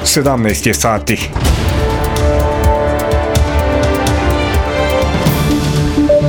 17 je sati.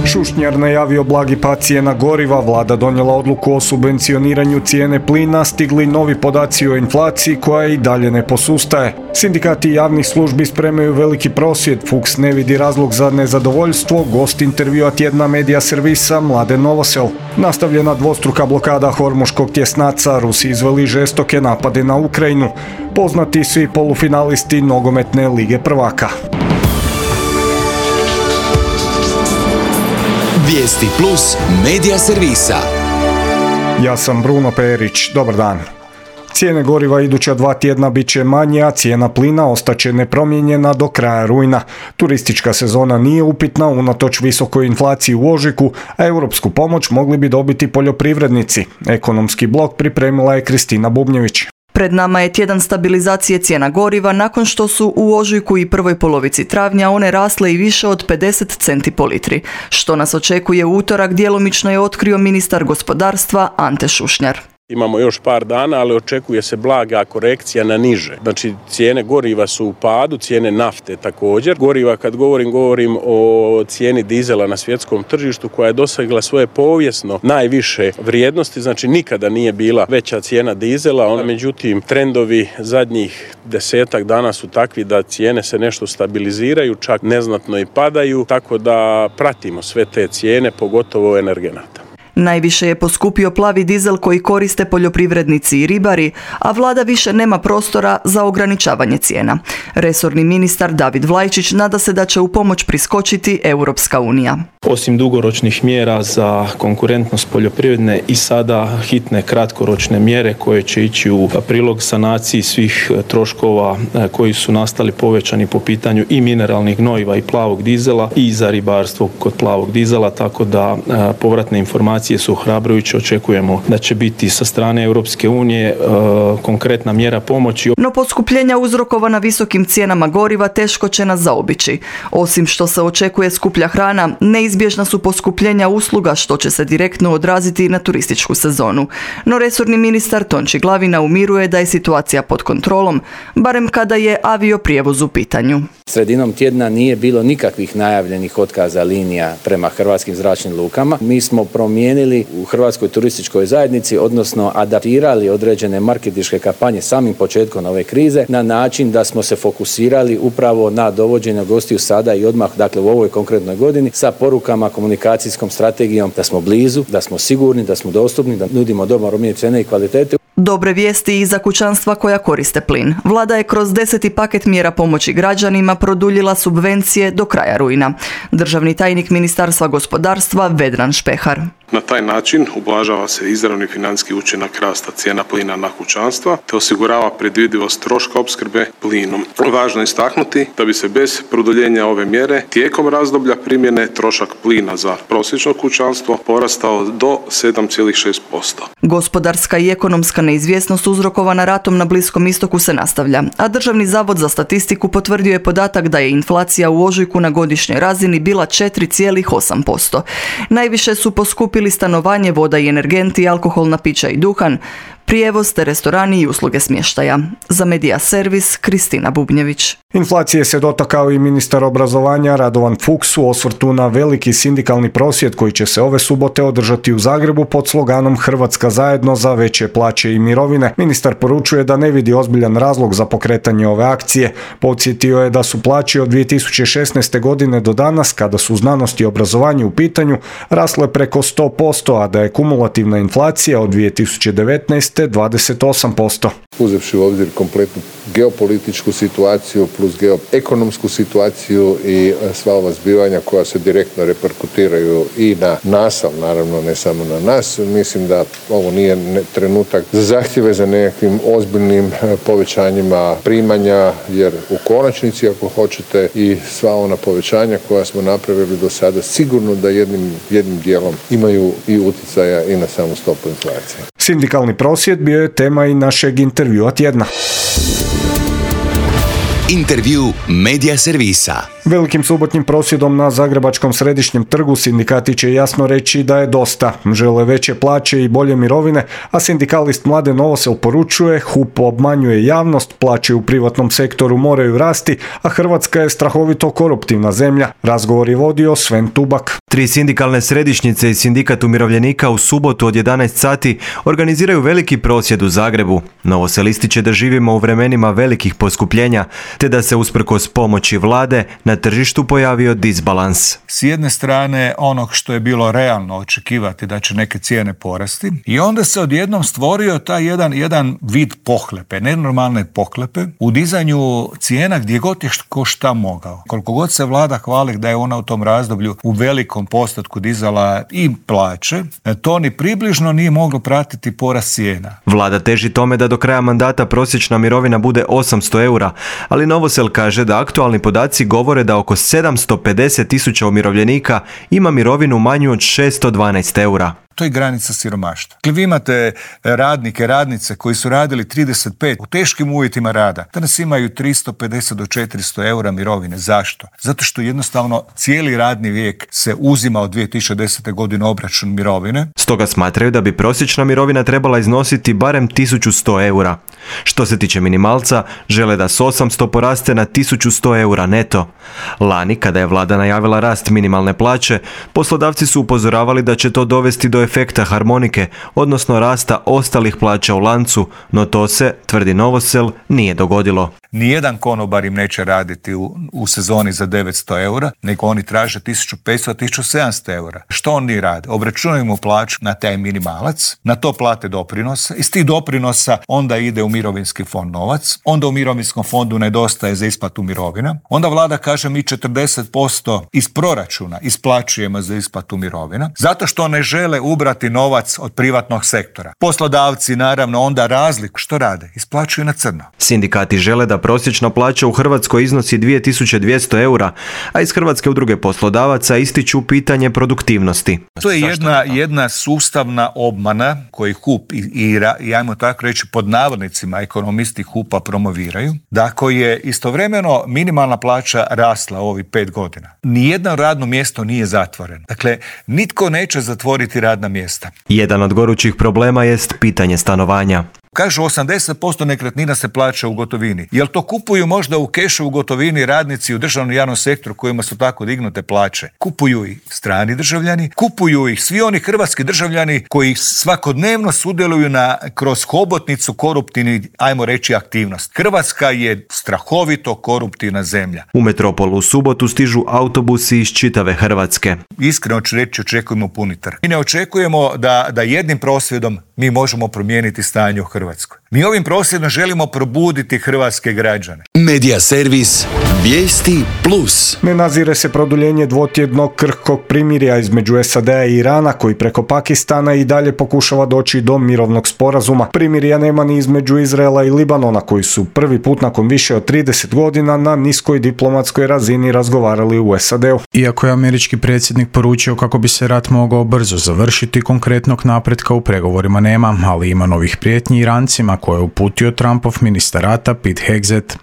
Šušnjar najavio blagi pad cijena goriva, vlada donijela odluku o subvencioniranju cijene plina, stigli novi podaci o inflaciji koja i dalje ne posustaje. Sindikati javnih službi spremaju veliki prosvjed, Fuchs ne vidi razlog za nezadovoljstvo, gost intervjua tjedna medija servisa Mladen Novosel. Nastavljena dvostruka blokada Hormuškog tjesnaca, Rusi izveli žestoke napade na Ukrajinu. Poznati svi polufinalisti nogometne lige prvaka. Vijesti plus medija servisa. Ja sam Bruno Perić, dobar dan. Cijene goriva iduća 2 tjedna bit će manje, a cijena plina ostaće nepromijenjena do kraja rujna. Turistička sezona nije upitna unatoč visokoj inflaciji u ožujku, a europsku pomoć mogli bi dobiti poljoprivrednici. Ekonomski blok pripremila je Kristina Bubnjević. Pred nama je tjedan stabilizacije cijena goriva nakon što su u ožujku i prvoj polovici travnja one rasle i više od 50 centi po litri. Što nas očekuje u utorak, djelomično je otkrio ministar gospodarstva Ante Šušnjar. Imamo još par dana, ali očekuje se blaga korekcija na niže. Znači, cijene goriva su u padu, cijene nafte također. Goriva, kad govorim o cijeni dizela na svjetskom tržištu koja je dosegla svoje povijesno najviše vrijednosti, znači nikada nije bila veća cijena dizela. Međutim, trendovi zadnjih 10 dana su takvi da cijene se nešto stabiliziraju, čak neznatno i padaju, tako da pratimo sve te cijene, pogotovo energenata. Najviše je poskupio plavi dizel koji koriste poljoprivrednici i ribari, a vlada više nema prostora za ograničavanje cijena. Resorni ministar David Vlajčić nada se da će u pomoć priskočiti Europska unija. Osim dugoročnih mjera za konkurentnost poljoprivredne i sada hitne kratkoročne mjere koje će ići u prilog sanaciji svih troškova koji su nastali povećani po pitanju i mineralnih gnojiva i plavog dizela i za ribarstvo kod plavog dizela, tako da povratne informacije su ohrabrujuće. Očekujemo da će biti sa strane Europske unije konkretna mjera pomoći. No poskupljenja uzrokovana visokim cijenama goriva teško će nas zaobići. Osim što se očekuje skuplja hrana, neizbježna su poskupljenja usluga što će se direktno odraziti na turističku sezonu. No resorni ministar Tonči Glavina umiruje da je situacija pod kontrolom, barem kada je avioprijevoz u pitanju. Sredinom tjedna nije bilo nikakvih najavljenih otkaza linija prema hrvatskim zračnim lukama. Mi smo promijenili u Hrvatskoj turističkoj zajednici, odnosno adaptirali određene marketinške kampanje samim početkom ove krize na način da smo se fokusirali upravo na dovođenje gostiju sada i odmah, dakle u ovoj konkretnoj godini, sa porukama, komunikacijskom strategijom da smo blizu, da smo sigurni, da smo dostupni, da nudimo dobro cijene i kvalitete. Dobre vijesti i za kućanstva koja koriste plin. Vlada je kroz 10. paket mjera pomoći građanima produljila subvencije do kraja rujna. Državni tajnik Ministarstva gospodarstva Vedran Špehar. Na taj način ublažava se izravni financijski učinak rasta cijena plina na kućanstva te osigurava predvidivost troška opskrbe plinom. Važno je istaknuti da bi se bez produljenja ove mjere tijekom razdoblja primjene trošak plina za prosječno kućanstvo porastao do 7,6%. Gospodarska i ekonomska neizvjesnost uzrokovana ratom na Bliskom istoku se nastavlja, a Državni zavod za statistiku potvrdio je podatak da je inflacija u ožujku na godišnjoj razini bila 4,8%. Najviše su poskupili stanovanje, voda i energenti, alkoholna pića i duhan, prijevoz te restorani i usluge smještaja. Za Medija servis Kristina Bubnjević. Inflacije se dotakao i ministar obrazovanja Radovan Fuchs u osvrtu na veliki sindikalni prosvjed koji će se ove subote održati u Zagrebu pod sloganom Hrvatska zajedno za veće plaće i mirovine. Ministar poručuje da ne vidi ozbiljan razlog za pokretanje ove akcije. Podsjetio je da su plaće od 2016. godine do danas, kada su znanost i obrazovanje u pitanju, rasle preko 100%, a da je kumulativna inflacija od 2019. 28%. Uzevši u obzir kompletnu geopolitičku situaciju plus geoekonomsku situaciju i sva ova zbivanja koja se direktno reperkutiraju i na nas, ali naravno ne samo na nas, mislim da ovo nije trenutak za zahtjeve za nekakvim ozbiljnim povećanjima primanja, jer u konačnici, ako hoćete, i sva ona povećanja koja smo napravili do sada sigurno da jednim dijelom imaju i utjecaja i na samu stopu inflacije. Sindikalni prosvjed bio je tema i našeg intervjua tjedna. Intervju Medija servisa. Velikim subotnjim prosvjedom na Zagrebačkom središnjem trgu sindikati će jasno reći da je dosta. Žele veće plaće i bolje mirovine, a sindikalist Mladen Novosel poručuje, HUP obmanjuje javnost, plaće u privatnom sektoru moraju rasti, a Hrvatska je strahovito koruptivna zemlja. Razgovor je vodio Sven Tubak. 3 sindikalne središnjice i sindikat umirovljenika u subotu od 11 sati organiziraju veliki prosvjed u Zagrebu. Novosel ističe da živimo u vremenima velikih poskupljenja, te da se usprkos pomoći vlade na tržištu pojavio disbalans. S jedne strane onog što je bilo realno očekivati da će neke cijene porasti i onda se odjednom stvorio taj jedan vid pohlepe, nenormalne pohlepe u dizanju cijena gdje god je ko šta mogao. Koliko god se vlada hvali da je ona u tom razdoblju u velikom postotku dizala i plaće, to ni približno nije moglo pratiti porast cijena. Vlada teži tome da do kraja mandata prosječna mirovina bude 800 eura, ali Novosel kaže da aktualni podaci govore da oko 750.000 umirovljenika ima mirovinu manju od 612 eura. To je granica siromaštva. Dakle, vi imate radnike, radnice koji su radili 35 u teškim uvjetima rada. Danas imaju 350 do 400 eura mirovine. Zašto? Zato što jednostavno cijeli radni vijek se uzima od 2010. godine obračun mirovine. Stoga smatraju da bi prosječna mirovina trebala iznositi barem 1100 eura. Što se tiče minimalca, žele da s 800 poraste na 1100 eura neto. Lani, kada je vlada najavila rast minimalne plaće, poslodavci su upozoravali da će to dovesti do efekta harmonike, odnosno rasta ostalih plaća u lancu, no to se, tvrdi Novosel, nije dogodilo. Nijedan konobar im neće raditi u sezoni za 900 eura, nego oni traže 1500-1700 eura. Što oni rade? Obračunaju mu plaću na taj minimalac, na to plate doprinose, iz tih doprinosa onda ide u mirovinski fond novac, onda u mirovinskom fondu nedostaje za isplatu mirovina, onda vlada kaže mi 40% iz proračuna isplaćujemo za isplatu mirovina, zato što ne žele ubrati novac od privatnog sektora. Poslodavci naravno onda razliku što rade? Isplaćuju na crno. Sindikati žele da prosječna plaća u Hrvatskoj iznosi 2200 eura, a iz Hrvatske udruge poslodavaca ističu pitanje produktivnosti. To je jedna sustavna obmana koju HUP i ajmo tako reći pod navodnicima ekonomisti HUP-a promoviraju, da ako je istovremeno minimalna plaća rasla ovih 5 godina, nijedno radno mjesto nije zatvoreno. Dakle, nitko neće zatvoriti radna mjesta. Jedan od gorućih problema jest pitanje stanovanja. Kažu 80% nekretnina se plaća u gotovini. Jel to kupuju možda u kešu u gotovini radnici u državnom i javnom sektoru kojima su tako dignute plaće? Kupuju ih strani državljani, kupuju ih svi oni hrvatski državljani koji svakodnevno sudjeluju kroz hobotnicu koruptivnih, ajmo reći, aktivnost. Hrvatska je strahovito koruptivna zemlja. U metropolu u subotu stižu autobusi iz čitave Hrvatske. Iskreno ću reći, očekujemo puni trg. Mi ne očekujemo da jednim prosvjedom mi možemo promijeniti stanje u Hrvatskoj. Mi ovim prosvjedom želimo probuditi hrvatske građane. Medija servis Vijesti Plus. Ne nazire se produljenje dvotjednog krhkog primirja između SAD-a i Irana, koji preko Pakistana i dalje pokušava doći do mirovnog sporazuma. Primirja nema ni između Izraela i Libanona, koji su prvi put nakon više od 30 godina na niskoj diplomatskoj razini razgovarali u SAD-u. Iako je američki predsjednik poručio kako bi se rat mogao brzo završiti, konkretnog napretka u pregovorima nema, ali ima novih prijetnji Irancima koje je uputio Trumpov ministar rata Pete Hegseth.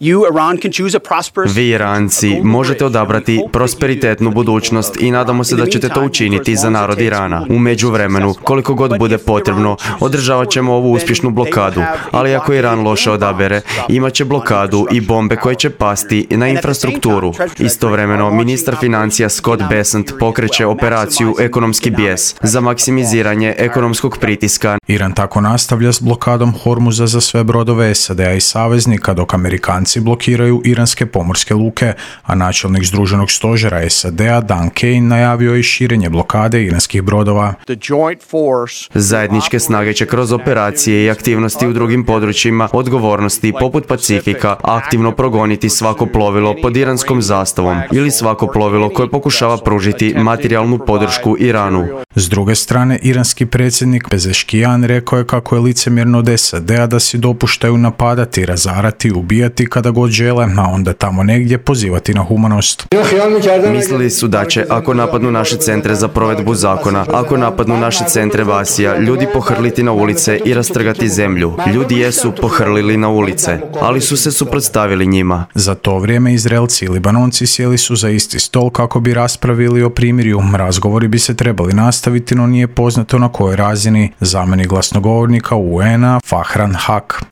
Vi Iranci možete odabrati prosperitetnu budućnost i nadamo se da ćete to učiniti za narod Irana. U međuvremenu, koliko god bude potrebno, održavat ćemo ovu uspješnu blokadu, ali ako Iran loše odabere, imat će blokadu i bombe koje će pasti na infrastrukturu. Istovremeno, ministar financija Scott Bessent pokreće operaciju Ekonomski bijes za maksimiziranje ekonomskog pritiska. Iran tako nastavlja s blokadom Hormuza za sve brodove SAD-a i saveznika, dok Amerikanci blokiraju iranske pomorske luke, a načelnik Združenog stožera SAD-a Dan Kane najavio je širenje blokade iranskih brodova. Zajedničke snage će kroz operacije i aktivnosti u drugim područjima odgovornosti poput Pacifika aktivno progoniti svako plovilo pod iranskom zastavom ili svako plovilo koje pokušava pružiti materijalnu podršku Iranu. S druge strane, iranski predsjednik Pezeškijan rekao je kako je licemjerno od SAD-a da si dopuštaju napadati, razarati, ubijati kada god žele, a onda tamo negdje nigdje pozivati na humanost. Mislili su da će, ako napadnu naše centre za provedbu zakona, ako napadnu naše centre Vasija, ljudi pohrliti na ulice i rastrgati zemlju. Ljudi jesu pohrlili na ulice, ali su se suprotstavili njima. Za to vrijeme Izraelci i Libanonci sjeli su za isti stol kako bi raspravili o primirju. Razgovori bi se trebali nastaviti, no nije poznato na kojoj razini. Zamjenik glasnogovornika UN-a Fahran Haq.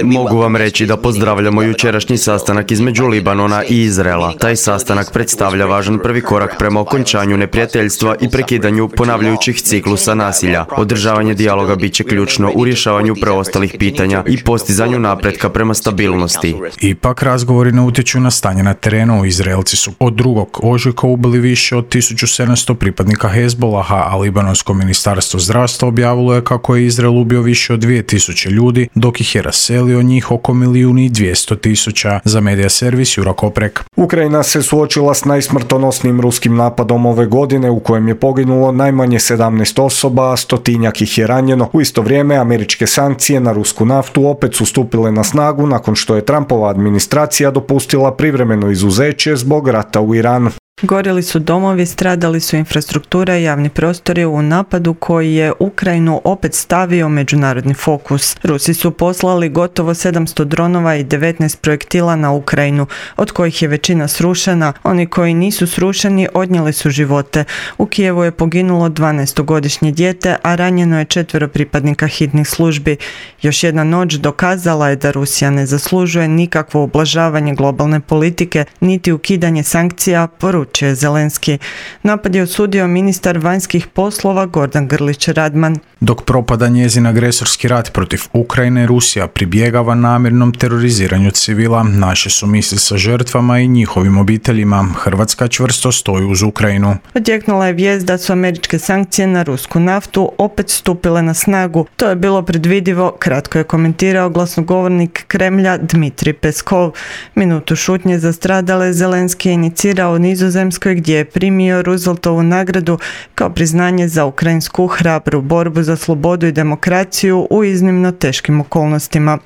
Mogu vam reći da pozdravljamo jučerašnji sastanak između Libanona i Izraela. Taj sastanak predstavlja važan prvi korak prema okončanju neprijateljstva i prekidanju ponavljajućih ciklusa nasilja. Održavanje dijaloga bit će ključno u rješavanju preostalih pitanja i postizanju napretka prema stabilnosti. Ipak razgovori ne utječu na stanje na terenu. Izraelci su od 2. ožujka ubili više od 1700 pripadnika Hezbolaha, a Libanonsko ministarstvo zdravstva objavilo je kako je Izrael ubio više od 2000 ljudi, dok ih je raselio njih oko 1.200.000. Za medija servis Jura Koprek. Ukrajina se suočila s najsmrtonosnijim ruskim napadom ove godine u kojem je poginulo najmanje 17 osoba, a stotinjak ih je ranjeno. U isto vrijeme američke sankcije na rusku naftu opet su stupile na snagu nakon što je Trumpova administracija dopustila privremeno izuzeće zbog rata u Iranu. Gorjeli su domovi, stradali su infrastruktura i javni prostori u napadu koji je Ukrajinu opet stavio međunarodni fokus. Rusi su poslali gotovo 700 dronova i 19 projektila na Ukrajinu, od kojih je većina srušena. Oni koji nisu srušeni odnijeli su živote. U Kijevu je poginulo 12-godišnje dijete, a ranjeno je 4 pripadnika hitnih službi. Još jedna noć dokazala je da Rusija ne zaslužuje nikakvo ublažavanje globalne politike, niti ukidanje sankcija, poručuje Zelenski. Napad je osudio ministar vanjskih poslova Gordan Grlić Radman. Dok propada njezin agresorski rat protiv Ukrajine, Rusija pribjegava namjernom teroriziranju civila. Naše su misli sa žrtvama i njihovim obiteljima. Hrvatska čvrsto stoji uz Ukrajinu. Odjeknula je vijest da su američke sankcije na rusku naftu opet stupile na snagu. To je bilo predvidivo, kratko je komentirao glasnogovornik Kremlja Dmitrij Peskov. Minutu šutnje za stradale Zelenski je inicirao u Nizozemskoj gdje je primio Rooseveltovu nagradu kao priznanje za ukrajinsku hrabru borbu za slobodu i demokraciju u iznimno teškim okolnostima.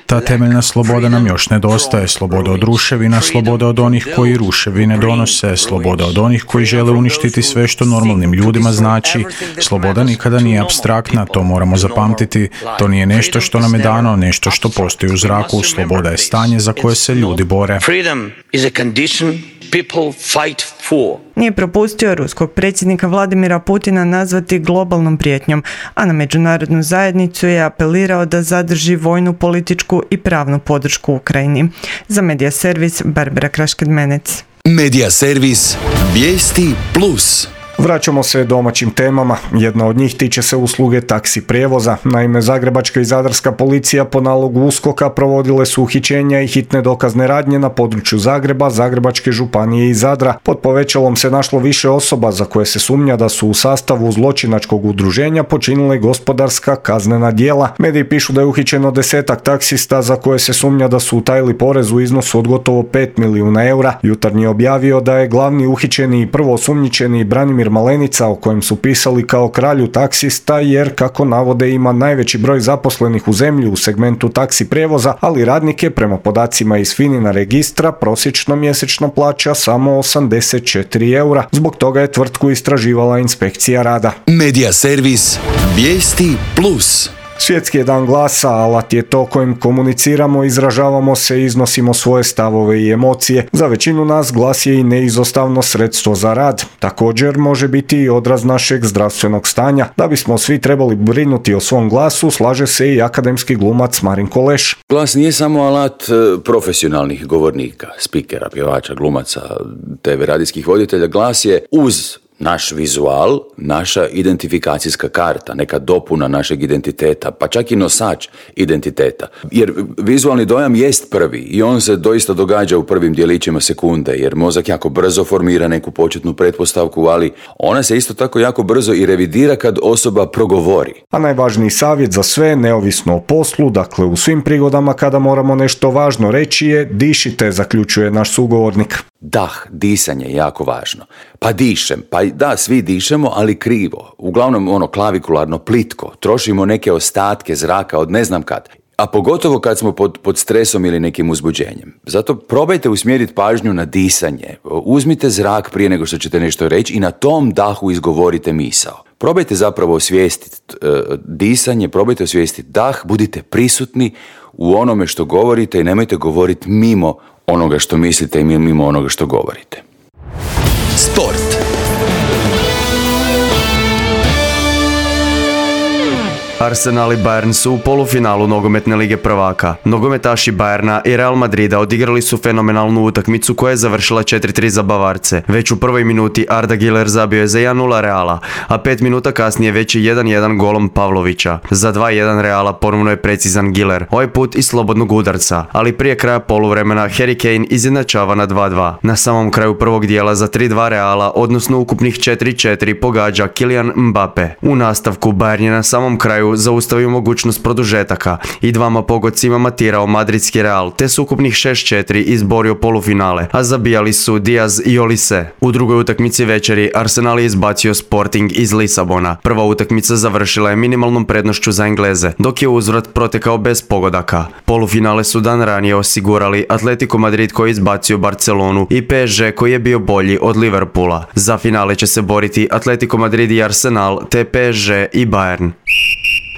Ta temeljna sloboda nam još nedostaje. Sloboda od ruševina, sloboda od onih koji ruševine donose, sloboda od onih koji žele uništiti sve što normalnim ljudima znači. Sloboda nikada nije apstraktna, to moramo zapamtiti. To nije nešto što nam je dano, nešto što postoji u zraku. Sloboda je stanje za koje se ljudi bore. Nije propustio ruskog predsjednika Vladimira Putina nazvati globalnom prijetnjom, a na međunarodnu zajednicu je apelirao da zadrži vojnu, političku i pravnu podršku Ukrajini. Za medija servis Barbara Krašked-Menec. Medija servis Vijesti Plus. Vraćamo se domaćim temama. Jedna od njih tiče se usluge taksi prijevoza. Naime, zagrebačka i zadarska policija po nalogu USKOK-a provodile su uhićenja i hitne dokazne radnje na području Zagreba, Zagrebačke županije i Zadra. Pod povećalom se našlo više osoba za koje se sumnja da su u sastavu zločinačkog udruženja počinile gospodarska kaznena djela. Mediji pišu da je uhićeno 10-ak taksista za koje se sumnja da su utajili porez u iznosu od gotovo 5 milijuna eura. Jutarnji je objavio da je glavni uhićeni i prvo osumnjičeni Branimir Malenica, o kojem su pisali kao kralju taksista, jer kako navode ima najveći broj zaposlenih u zemlji u segmentu taksi prijevoza, ali radnike prema podacima iz FINA registra prosječno mjesečno plaća samo 84 eura. Zbog toga je tvrtku istraživala inspekcija rada. Medija servis Vijesti Plus. Svjetski je dan glasa, alat je to kojim komuniciramo, izražavamo se i iznosimo svoje stavove i emocije. Za većinu nas glas je i neizostavno sredstvo za rad. Također može biti i odraz našeg zdravstvenog stanja. Da bismo svi trebali brinuti o svom glasu, slaže se i akademski glumac Marin Koleš. Glas nije samo alat profesionalnih govornika, spikera, pjevača, glumaca, TV radijskih voditelja. Glas je uz naš vizual, naša identifikacijska karta, neka dopuna našeg identiteta, pa čak i nosač identiteta. Jer vizualni dojam jest prvi i on se doista događa u prvim djelićima sekunde, jer mozak jako brzo formira neku početnu pretpostavku, ali ona se isto tako jako brzo i revidira kad osoba progovori. A najvažniji savjet za sve, neovisno o poslu, dakle u svim prigodama kada moramo nešto važno reći je dišite, zaključuje naš sugovornik. Dah, disanje je jako važno. Pa dišem, pa da, svi dišemo, ali krivo. Uglavnom klavikularno, plitko. Trošimo neke ostatke zraka od ne znam kad. a pogotovo kad smo pod stresom ili nekim uzbuđenjem. Zato probajte usmjeriti pažnju na disanje. Uzmite zrak prije nego što ćete nešto reći i na tom dahu izgovorite misao. Probajte zapravo osvijestiti disanje, probajte osvijestiti dah, budite prisutni u onome što govorite i nemojte govoriti mimo onoga što mislite i mimo onoga što govorite. Sport. Arsenal i Bayern su u polufinalu nogometne lige prvaka. Nogometaši Bayerna i Real Madrida odigrali su fenomenalnu utakmicu koja je završila 4-3 za Bavarce. Već u prvoj minuti Arda Güler zabio je za 1-0 Reala, a 5 minuta kasnije već je 1-1 golom Pavlovića. Za 2-1 Reala ponovno je precizan Güler, ovaj put iz slobodnog udarca, ali prije kraja poluvremena Harry Kane izjednačava na 2-2. Na samom kraju prvog dijela za 3-2 Reala, odnosno ukupnih 4-4, pogađa Kylian Mbappe. U nastavku Bayern je na samom kraju zaustavio mogućnost produžetaka i dvama pogodcima matirao madridski Real, te s ukupnih 6-4 izborio polufinale, a zabijali su Diaz i Olise. U drugoj utakmici večeri Arsenal je izbacio Sporting iz Lisabona. Prva utakmica završila je minimalnom prednošću za Engleze, dok je uzvrat protekao bez pogodaka. Polufinale su dan ranije osigurali Atletico Madrid koji je izbacio Barcelonu i PSG koji je bio bolji od Liverpoola. Za finale će se boriti Atletico Madrid i Arsenal, te PSG i Bayern.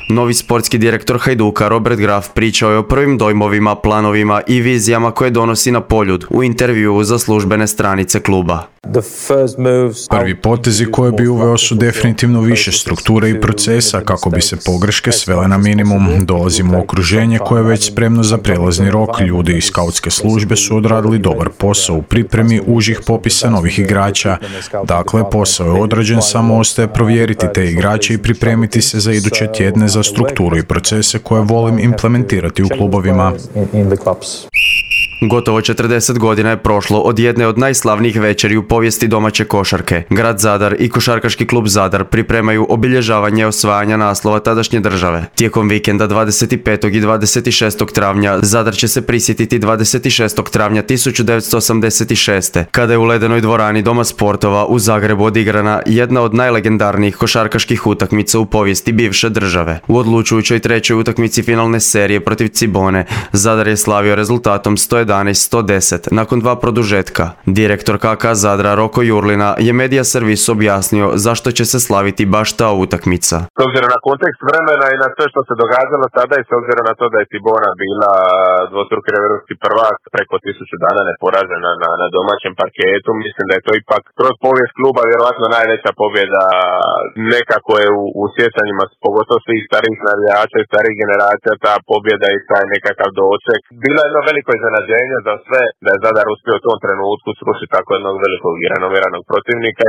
Novi sportski direktor Hajduka Robert Graf pričao je o prvim dojmovima, planovima i vizijama koje donosi na Poljud u intervjuu za službene stranice kluba. Prvi potezi koje bi uveo su definitivno više strukture i procesa kako bi se pogreške svele na minimum. Dolazimo u okruženje koje je već spremno za prelazni rok. Ljudi iz skautske službe su odradili dobar posao u pripremi užih popisa novih igrača. Dakle, posao je odrađen, samo ostaje provjeriti te igrače i pripremiti se za iduće tjedne za strukturu i procese koje volim implementirati u klubovima. Gotovo 40 godina je prošlo od jedne od najslavnijih večeri u povijesti domaće košarke. Grad Zadar i košarkaški klub Zadar pripremaju obilježavanje osvajanja naslova tadašnje države. Tijekom vikenda 25. i 26. travnja Zadar će se prisjetiti 26. travnja 1986. kada je u ledenoj dvorani Doma sportova u Zagrebu odigrana jedna od najlegendarnijih košarkaških utakmica u povijesti bivše države. U odlučujućoj trećoj utakmici finalne serije protiv Cibone Zadar je slavio rezultatom 111-110 nakon dva produžetka. Direktor KK Zadra Roko Jurlina je Medija Servis objasnio zašto će se slaviti baš ta utakmica. S obzirom na kontekst vremena i na sve što se događalo tada i s obzirom na to da je Cibona bila dvostruki europski prvak preko 1000 dana neporažena na domaćem parketu, mislim da je to ipak kroz povijest kluba vjerojatno najveća pobjeda. Nekako je u sjećanjima pogotovo svih starijih navijača i starijih generacija ta pobjeda i taj nekakav doček. Bila je jedno veliko iznenađenje za sve da je Zadar uspio u tom trenutku srušiti tako jednog velikog i renomiranog protivnika.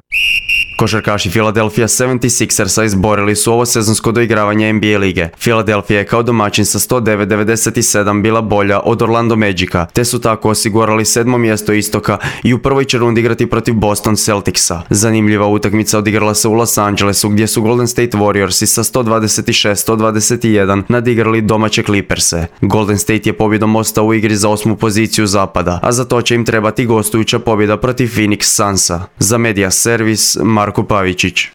Košarkaši Philadelphia 76ersa izborili su ovo sezonsko doigravanje NBA lige. Philadelphia je kao domaćin sa 109-97 bila bolja od Orlando Magica, te su tako osigurali 7. mjesto istoka i u prvoj će rundi igrati protiv Boston Celticsa. Zanimljiva utakmica odigrala se u Los Angelesu gdje su Golden State Warriorsi sa 126-121 nadigrali domaće Clipperse. Golden State je pobjedom ostao u igri za 8. poziciju zapada, a za to će im trebati gostujuća pobjeda protiv Phoenix Sunsa. Za Medija Servis Marko Pavičić.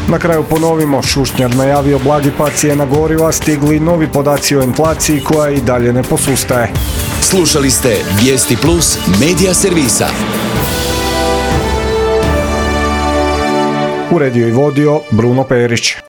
Na kraju ponovimo, Šušnjar najavio blagi pad cijena goriva, stigli novi podaci o inflaciji koja i dalje ne posustaje. Slušali ste Vijesti Plus Medija Servisa. Uredio i vodio Bruno Perić.